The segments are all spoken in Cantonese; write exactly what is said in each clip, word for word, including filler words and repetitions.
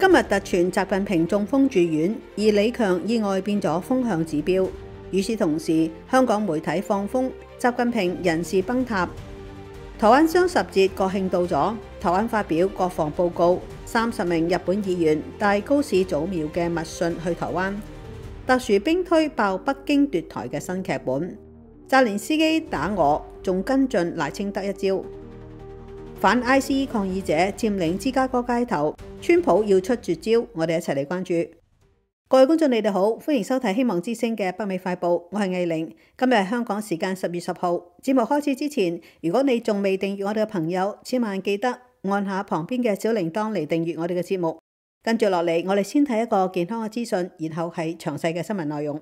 今日突傳習近平中風住院，而李強意外變咗風向指標。與此同時，香港媒體放風習近平人事崩塌。台灣雙十節國慶到咗，台灣發表國防報告，三十名日本議員帶高市早苗嘅密信去台灣。特殊兵推爆北京奪台嘅新劇本，澤連斯基打我，仲跟進賴清德一招。反 I C E 抗議者佔領芝加哥街頭，川普要出絕招，我哋一齊嚟關注。各位觀眾，你哋好，歡迎收睇希望之聲嘅北美快報，我係藝玲。今日係香港時間十月十號。節目開始之前，如果你仲未訂閱我哋嘅朋友，千萬記得按下旁邊嘅小鈴鐺嚟訂閱我哋嘅節目。跟住落嚟，我哋先睇一個健康嘅資訊，然後係詳細嘅新聞內容。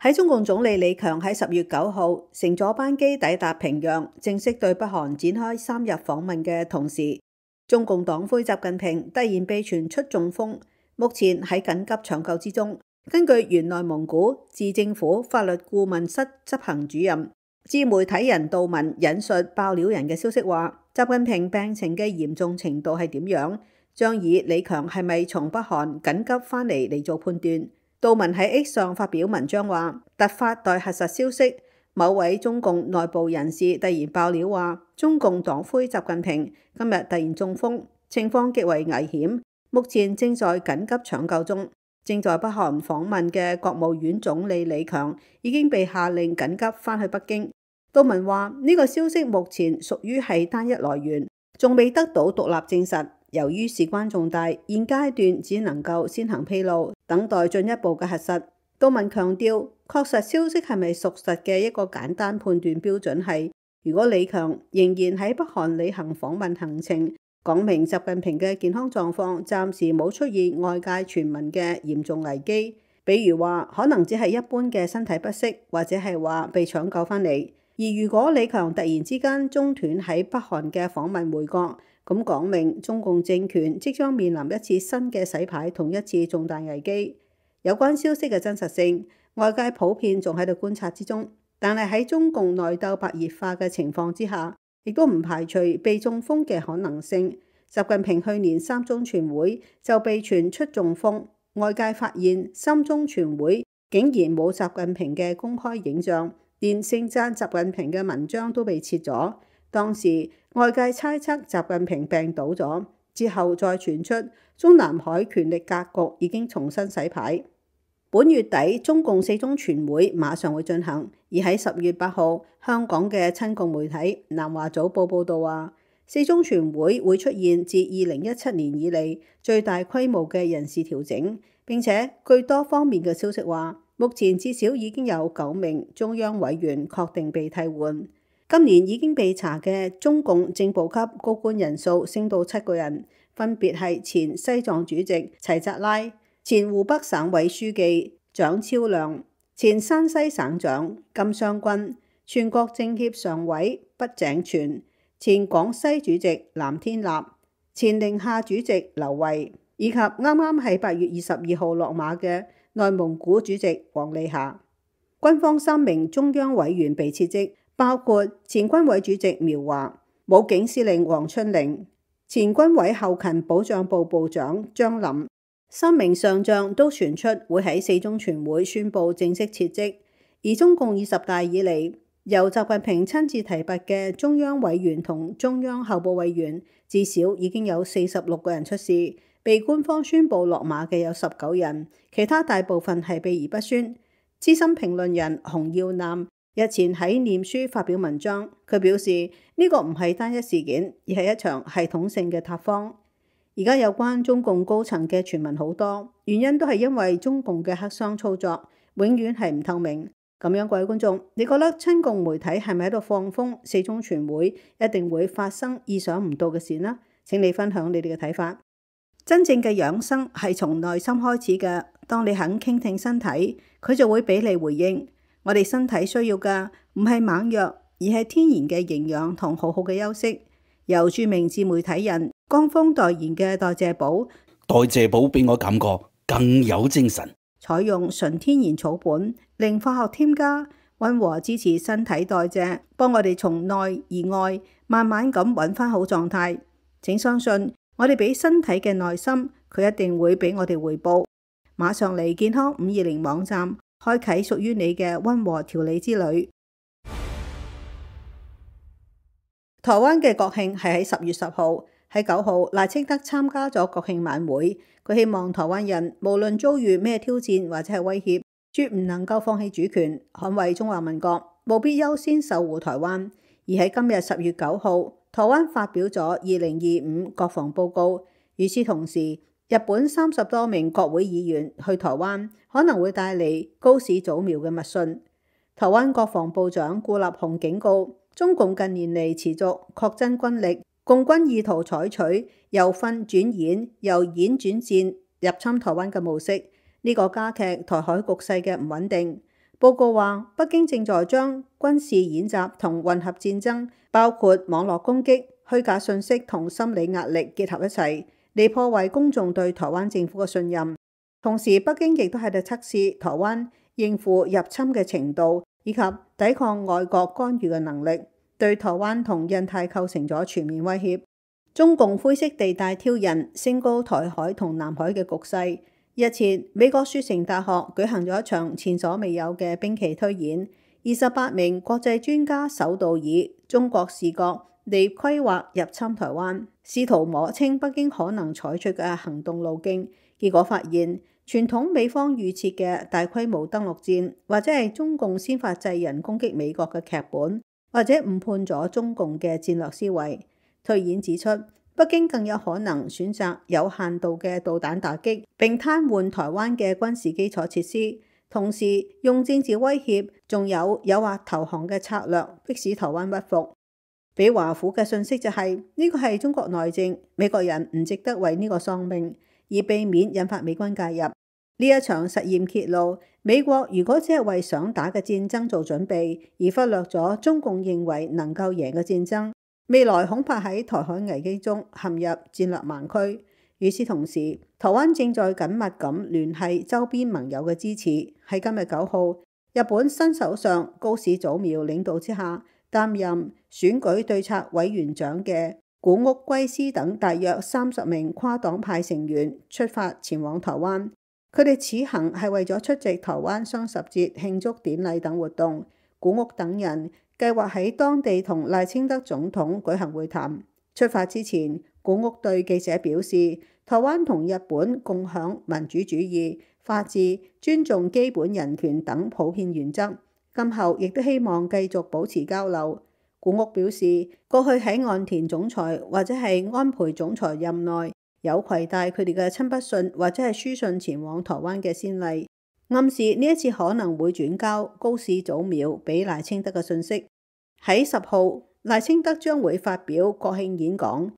喺中共總理李強喺十月九號乘坐班機抵達平壤，正式對北韓展開三日訪問嘅同時，中共黨魁習近平突然被傳出中風，目前喺緊急搶救之中。根據原內蒙古自政府法律顧問室執行主任、自媒體人杜文引述爆料人嘅消息話，習近平病情嘅嚴重程度係點樣，將以李強係咪從北韓緊急返嚟嚟做判斷。杜文喺 X 上發表文章話，突發待核實消息，某位中共內部人士突然爆料話，中共黨魁習近平今日突然中風，情況極為危險，目前正在緊急搶救中。正在北韓訪問嘅國務院總理李強已經被下令緊急返去北京。杜文話，呢個消息目前屬於係單一來源，仲未得到獨立證實。由於事關重大，現階段只能夠先行披露，等待進一步嘅核實。杜文強調，確實消息係咪屬實嘅一個簡單判斷標準係，如果李強仍然喺北韓履行訪問行程，講明習近平嘅健康狀況暫時冇出現外界傳聞嘅嚴重危機，比如話可能只係一般嘅身體不適，或者係話被搶救返嚟。而如果李強突然之間中斷喺北韓嘅訪問回國，咁講明中共政權即將面臨一次新嘅洗牌同一次重大危機。有關消息嘅真實性，外界普遍仲喺度觀察之中，但係喺中共內鬥白熱化嘅情況之下，亦都唔排除被中風嘅可能性。習近平去年三中全會就被傳出中風，外界發現三中全會竟然冇習近平嘅公開影像，連盛讚習近平嘅文章都被撤咗。當時外界猜測習近平病倒咗，之後再傳出中南海權力格局已經重新洗牌。本月底中共四中全會馬上會進行，而喺十月八號，香港嘅親共媒體南華早報報道話，四中全會會出現自二零一七年以嚟最大規模嘅人事調整，並且據多方面嘅消息話，目前至少已經有九名中央委員確定被替換。今年已經被查嘅中共正部級高官人數升到七個人，分別係前西藏主席齊扎拉、前湖北省委書記蔣超良、前山西省長金相軍、全國政協常委畢井泉、前廣西主席藍天立、前寧夏主席劉慧，以及啱啱喺八月二十二號落馬嘅內蒙古主席王利霞。軍方三名中央委員被撤職，包括前軍委主席苗華、武警司令黃春玲、前軍委後勤保障部部長張林。三名上將都傳出會喺四中全會宣布正式撤職。而中共二十大以嚟，由習近平親自提拔嘅中央委員同中央候補委員，至少已經有四十六個人出事，被官方宣布落馬嘅有十九人，其他大部分係秘而不宣。資深評論人洪耀南日前喺臉書發表文章，佢表示呢個唔係單一事件，而係一場系統性嘅塌方。而家有關中共高層嘅傳聞好多，原因都係因為中共嘅黑箱操作永遠係唔透明。咁樣，各位觀眾，你覺得親共媒體係咪喺度放風四中全會一定會發生意想唔到嘅事呢？請你分享你哋嘅睇法。真正嘅養生係從內心開始嘅，當你肯傾聽身體，佢就會俾你回應。我哋身體需要嘅唔係猛藥，而係天然嘅營養同好好嘅休息。由著名自媒體人江峰代言嘅代謝寶，代謝寶俾我感覺更有精神。採用純天然草本，零化學添加，溫和支持身體代謝，幫我哋從內而外慢慢咁揾翻好狀態。請相信，我哋俾身體嘅耐心，佢一定會俾我哋回報。馬上嚟健康五二零網站，開啟屬於你嘅溫和調理之旅。台灣嘅國慶係喺十月十號，喺九號賴清德參加咗國慶晚會。佢希望台灣人無論遭遇咩挑戰或者係威脅，絕唔能夠放棄主權，捍衛中華民國，務必優先守護台灣。而喺今日十月九號，台灣發表咗二零二五國防報告。與此同時，日本三十多名國會議員去台灣，可能會帶嚟高市早苗嘅密訊。台灣國防部長顧立雄警告，中共近年嚟持續擴增軍力，共軍意圖採取由訓轉演、由演轉戰入侵台灣嘅模式，呢、這個加劇台海局勢嘅唔穩定。報告話，北京正在將軍事演習同混合戰爭，包括網絡攻擊、虛假信息同心理壓力結合一齊，嚟破壞公眾對台灣政府嘅信任。同時，北京亦都喺度測試台灣應付入侵嘅程度，以及抵抗外國干預嘅能力，對台灣同印太構成咗全面威脅。中共灰色地帶挑釁升高台海同南海嘅局勢。日前，美國雪城大學舉行咗一場前所未有嘅兵棋推演，二十八名國際專家首度以中國視角嚟規劃入侵台灣，試圖摸清北京可能採取嘅行動路徑。結果發現，傳統美方預設嘅大規模登陸戰，或者係中共先發制人攻擊美國嘅劇本，或者誤判咗中共嘅戰略思維。推演指出，北京更有可能選擇有限度嘅導彈打擊，並癱瘓台灣嘅軍事基礎設施，同時用政治威脅，仲有誘惑投降嘅策略，迫使台灣屈服。俾華府嘅訊息就係、是、呢、這個係中國內政，美國人唔值得為呢個喪命，而避免引發美軍介入。呢一場實驗揭露，美國如果只係為想打嘅戰爭做準備，而忽略咗中共認為能夠贏嘅戰爭，未來恐怕喺台海危機中陷入戰略盲區。與此同時，台灣正在緊密咁聯繫周邊盟友嘅支持。喺今日九號，日本新首相高市早苗領導之下，擔任選舉對策委員長嘅古屋圭司等大約三十名跨黨派成員出發前往台灣。佢哋此行係為咗出席台灣雙十節慶祝典禮等活動。古屋等人計劃喺當地同賴清德總統舉行會談。出發之前，古屋對記者表示，台灣同日本共享民主主義、法治、尊重基本人權等普遍原則，今後亦都希望繼續保持交流。古屋表示，過去喺岸田總裁或者係安倍總裁任內，有攜帶佢哋嘅親筆信或者係書信前往台灣嘅先例，暗示呢一次可能會轉交高市早苗俾賴清德嘅信息。喺十號，賴清德將會發表國慶演講，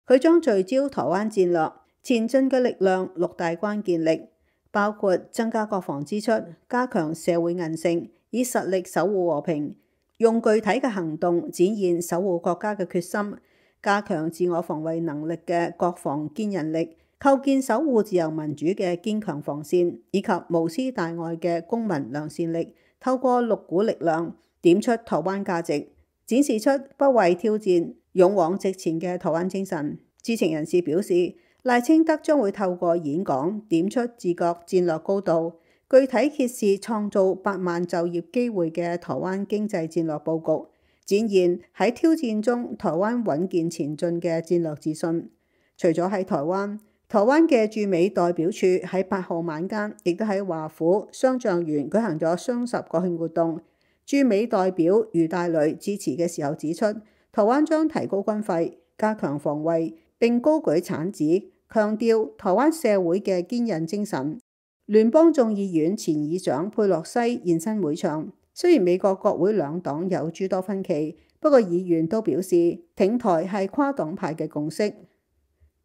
佢將聚焦台灣戰略前進嘅力量六大關鍵力，包括增加國防支出、加強社會韌性，以實力守護和平，用具體嘅行動展現守護國家嘅決心，加強自我防衛能力嘅國防堅韌力，構建守護自由民主嘅堅強防線，以及無私大愛嘅公民良善力。透過六股力量點出台灣價值，展示出不畏挑戰、勇往直前嘅台灣精神。知情人士表示，賴清德將會透過演講點出自覺戰略高度，具體揭示創造百萬就業機會嘅台灣經濟戰略佈局，展現喺挑戰中台灣穩健前進嘅戰略自信。除咗喺台灣，台灣嘅駐美代表處喺八號晚間亦都喺華府雙橡園舉行咗雙十國慶活動。駐美代表余大雷致辭嘅時候指出，台灣將提高軍費、加強防衛，並高舉產子，強調台灣社會嘅堅韌精神。聯邦眾議院前議長佩洛西現身會場。雖然美國國會兩黨有諸多分歧，不過議員都表示挺台係跨黨派嘅共識。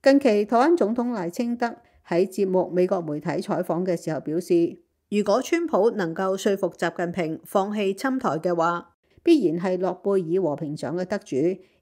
近期台灣總統賴清德喺節目美國媒體採訪嘅時候表示，如果川普能夠說服習近平放棄侵台嘅話，必然係諾貝爾和平獎嘅得主，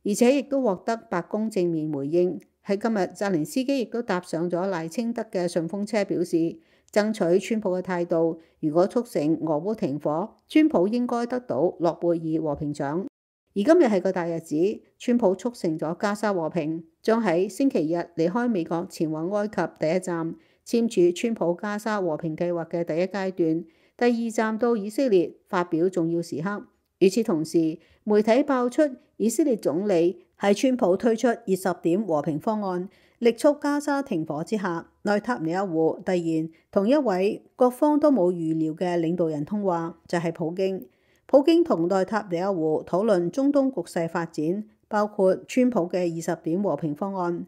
而且亦都獲得白宮正面回應。喺今日，澤連斯基亦都搭上咗賴清德嘅順風車，表示爭取川普嘅態度，如果促成俄烏停火，川普應該得到諾貝爾和平獎。而今日係個大日子，川普促成咗加沙和平，將喺星期日離開美國前往埃及第一站，簽署川普加沙和平計劃嘅第一階段；第二站到以色列發表重要時刻。與此同時，媒體爆出以色列總理喺川普推出二十點和平方案，力促加沙停火之下，內塔尼亞胡突然同一位各方都冇預料嘅領導人通話，就係、是、普京。普京同內塔尼亞胡討論中東局勢發展，包括川普嘅二十點和平方案、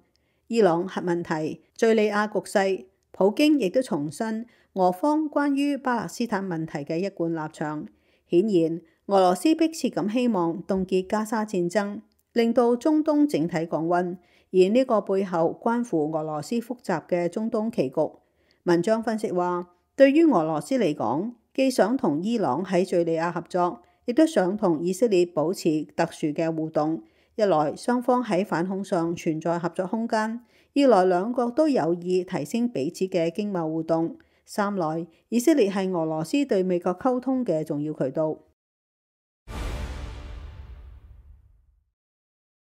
伊朗核問題、敘利亞局勢。普京亦都重申俄方關於巴勒斯坦問題嘅一貫立場。顯然，俄羅斯迫切咁希望凍結加沙戰爭，令到中東整體降溫，而呢個背後關乎俄羅斯複雜嘅中東棋局。文章分析話，對於俄羅斯嚟講，既想同伊朗喺敘利亞合作，亦都想同以色列保持特殊嘅互動。一來雙方喺反恐上存在合作空間，二來兩國都有意提升彼此嘅經貿互動，三來以色列係俄羅斯對美國溝通嘅重要渠道。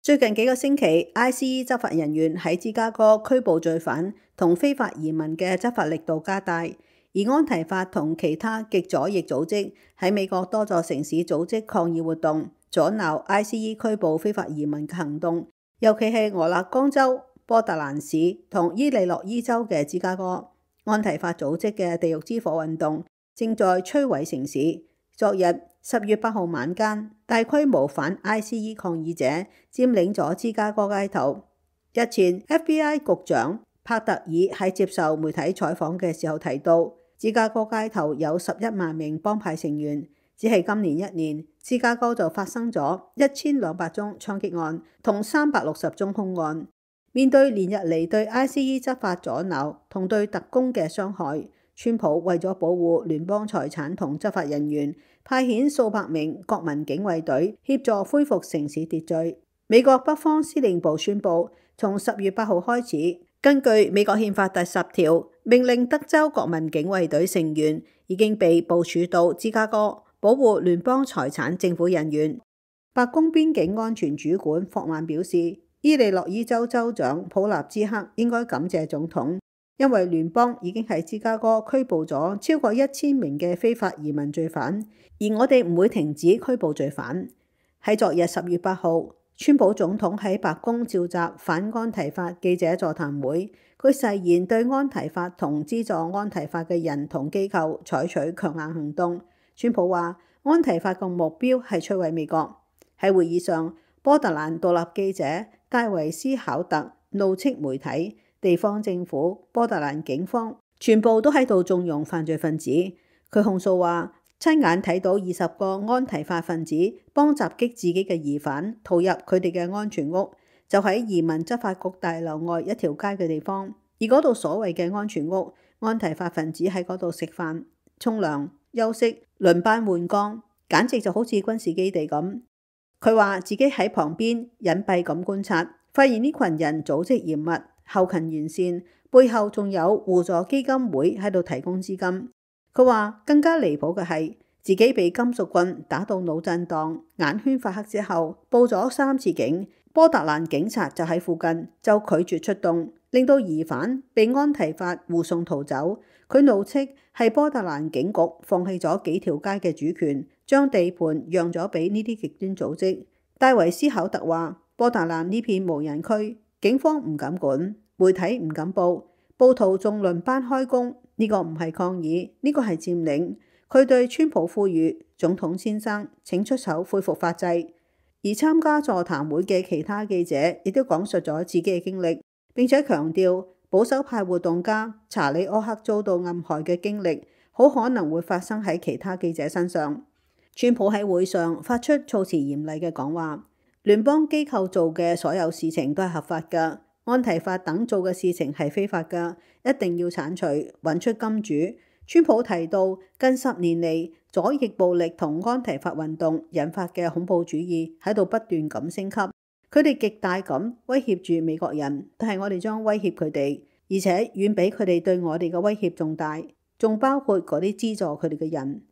最近幾個星期 ，I C E 執法人員喺芝加哥拘捕罪犯同非法移民嘅執法力度加大，而安提法同其他極左翼組織喺美國多座城市組織抗議活動，阻撓 I C E 拘捕非法移民嘅行動，尤其係俄勒岡州、波特蘭市同伊利諾伊州嘅芝加哥。安提法組織嘅地獄之火運動正在摧毀城市。昨日十月八號晚間，大規模反 I C E 抗議者佔領咗芝加哥街頭。日前 F B I 局長帕特爾喺接受媒體採訪嘅時候提到，芝加哥街頭有十一萬名幫派成員，只係今年一年，芝加哥就發生咗一千兩百宗槍擊案同三百六十宗兇案。面對連日嚟對 I C E 執法阻撓同對特工嘅傷害，川普為咗保護聯邦財產同執法人員，派遣數百名國民警衛隊協助恢復城市秩序。美國北方司令部宣布，從十月八號開始，根據美國憲法第十條，命令德州國民警衛隊成員已經被部署到芝加哥保護聯邦財產政府人員。白宮邊境安全主管霍曼表示，伊利諾伊州州長普納茲克應該感謝總統，因為聯邦已經喺芝加哥拘捕咗超過一千名嘅非法移民罪犯，而我哋唔會停止拘捕罪犯。喺昨日十月八號，川普總統喺白宮召集反安提法記者座談會，佢誓言對安提法同資助安提法嘅人同機構採取強硬行動。川普話，安提法嘅目標係摧毀美國。喺會議上，波特蘭獨立記者戴維斯考特怒斥媒體、地方政府、波特蘭警方全部都喺度縱容犯罪分子。佢控訴話，親眼睇到二十個安提法分子幫襲擊自己嘅疑犯逃入佢哋嘅安全屋，就喺移民執法局大樓外一條街嘅地方。而嗰度所謂嘅安全屋，安提法分子喺嗰度食飯、沖涼、休息、輪班換崗，簡直就好似軍事基地咁。佢話自己喺旁邊隱蔽咁觀察，發現呢群人組織嚴密、後勤完善，背後仲有互助基金會喺度提供資金。佢話更加離譜嘅係，自己被金屬棍打到腦震盪、眼圈發黑之後，報咗三次警，波特蘭警察就喺附近，就拒絕出動，令到疑犯被安提法護送逃走。佢怒斥係波特蘭警局放棄咗幾條街嘅主權，將地盤讓咗俾呢啲極端組織。戴維斯考特話，波特蘭呢片無人區，警方唔敢管，媒體唔敢報，暴徒仲輪班開工。呢個唔係抗議，呢個係佔領。佢對川普呼籲，總統先生請出手恢復法制。而參加座談會嘅其他記者亦都講述咗自己嘅經歷，並且強調保守派活動家查理柯克遭到暗害嘅經歷，好可能會發生喺其他記者身上。川普喺會上發出措辭嚴厲嘅講話，聯邦機構做嘅所有事情都係合法㗎，安提法等做嘅事情係非法㗎，一定要剷除，揾出金主。川普提到近十年嚟左翼暴力同安提法運動引發嘅恐怖主義喺度不斷咁升級，佢哋極大咁威脅住美國人，但係我哋將威脅佢哋，而且遠比佢哋對我哋嘅威脅仲大，仲包括嗰啲資助佢哋嘅人。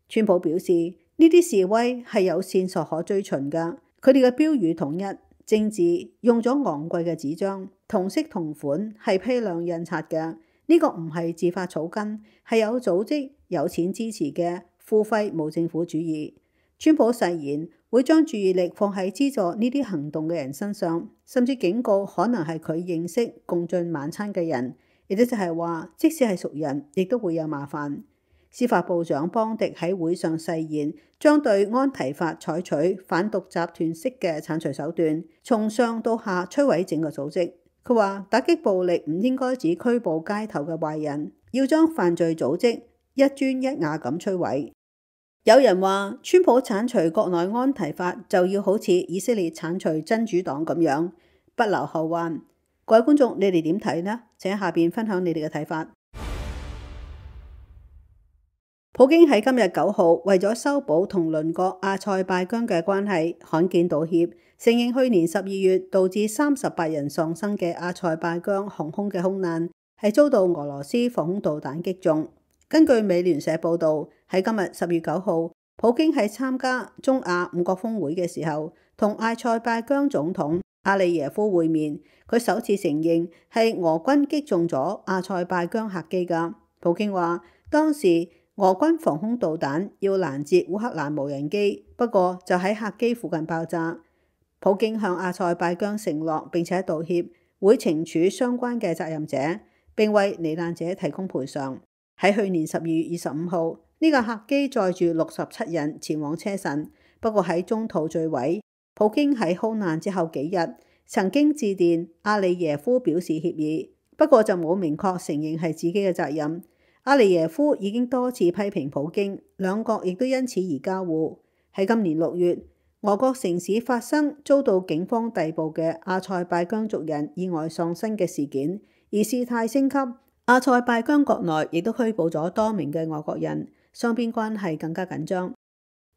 川普表示，呢啲示威係有線索可追尋㗎，佢哋嘅標語統一，政治用咗昂貴嘅紙張，同色同款，係批量印刷嘅。呢個唔係自發草根，係有組織、有錢支持嘅付費無政府主義。川普誓言會將注意力放喺資助呢啲行動嘅人身上，甚至警告可能係佢認識共進晚餐嘅人，亦都就係話，即使係熟人，亦都會有麻煩。司法部長邦迪喺會上誓言，將對安提法採取反毒集團式嘅剷除手段，從上到下摧毀整個組織。佢話打擊暴力唔應該只拘捕街頭嘅壞人，要將犯罪組織一磚一瓦咁摧毀。有人話川普剷除國內安提法就要好似以色列剷除真主黨咁樣，不留後患。各位觀眾，你哋點睇呢？請喺下邊分享你哋嘅睇法。普京喺今日九號為咗修補同鄰國阿塞拜疆嘅關係，罕見道歉，承認去年十二月導致三十八人喪生嘅阿塞拜疆航空嘅空難係遭到俄羅斯防空導彈擊中。根據美聯社報導，喺今日十月九號，普京喺參加中亞五國峰會嘅時候，同阿塞拜疆總統阿利耶夫會面，佢首次承認係俄軍擊中咗阿塞拜疆客機㗎。普京話當時俄軍防空導彈要攔截烏克蘭無人機，不過就喺客機附近爆炸。普京向阿塞拜疆承諾並且道歉，會懲處相關嘅責任者，並為罹難者提供賠償。喺去年十二月二十五號，呢個客機載住六十七人前往車臣，不過喺中途墜毀。普京喺空難之後幾日曾經致電阿利耶夫表示歉意，不過就冇明確承認係自己嘅責任。阿利耶夫已經多次批評普京，兩國亦都因此而交惡。喺今年六月，俄國城市發生遭到警方逮捕嘅阿塞拜疆族人意外喪生嘅事件，而事態升級，阿塞拜疆國內亦都拘捕咗多名嘅外國人，雙邊關係更加緊張。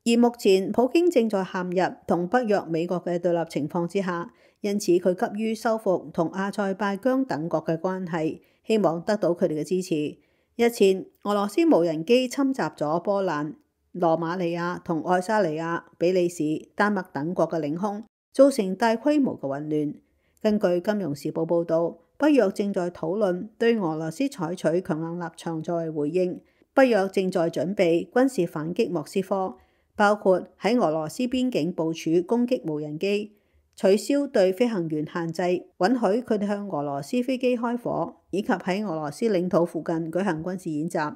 而目前普京正在陷入同北約、美國嘅對立情況之下，因此佢急於修復同阿塞拜疆等國嘅關係，希望得到佢哋嘅支持。日前，俄羅斯無人機侵襲咗波蘭、羅馬尼亞同愛沙尼亞、比利時、丹麥等國嘅領空，造成大規模嘅混亂。根據《金融時報》報導，北約正在討論對俄羅斯採取強硬立場作為回應。北約正在準備軍事反擊莫斯科，包括喺俄羅斯邊境部署攻擊無人機，取消對飛行員限制，允許佢哋向俄羅斯飛機開火，以及喺俄羅斯領土附近舉行軍事演習。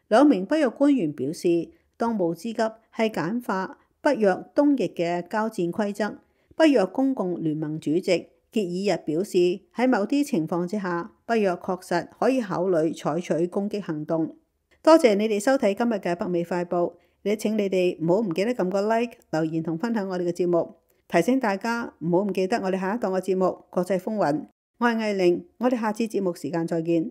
兩名北約官員表示，當務之急係簡化北約東翼嘅交戰規則。北約公共聯盟主席傑爾日表示，喺某啲情況之下，北約確實可以考慮採取攻擊行動。多謝你哋收睇今日嘅北美快報，你請你哋唔好唔記得撳個 like、留言同分享我哋嘅節目。提醒大家唔好唔記得我哋下一檔嘅節目《國際風雲》，我係藝玲，我哋下次節目時間再見。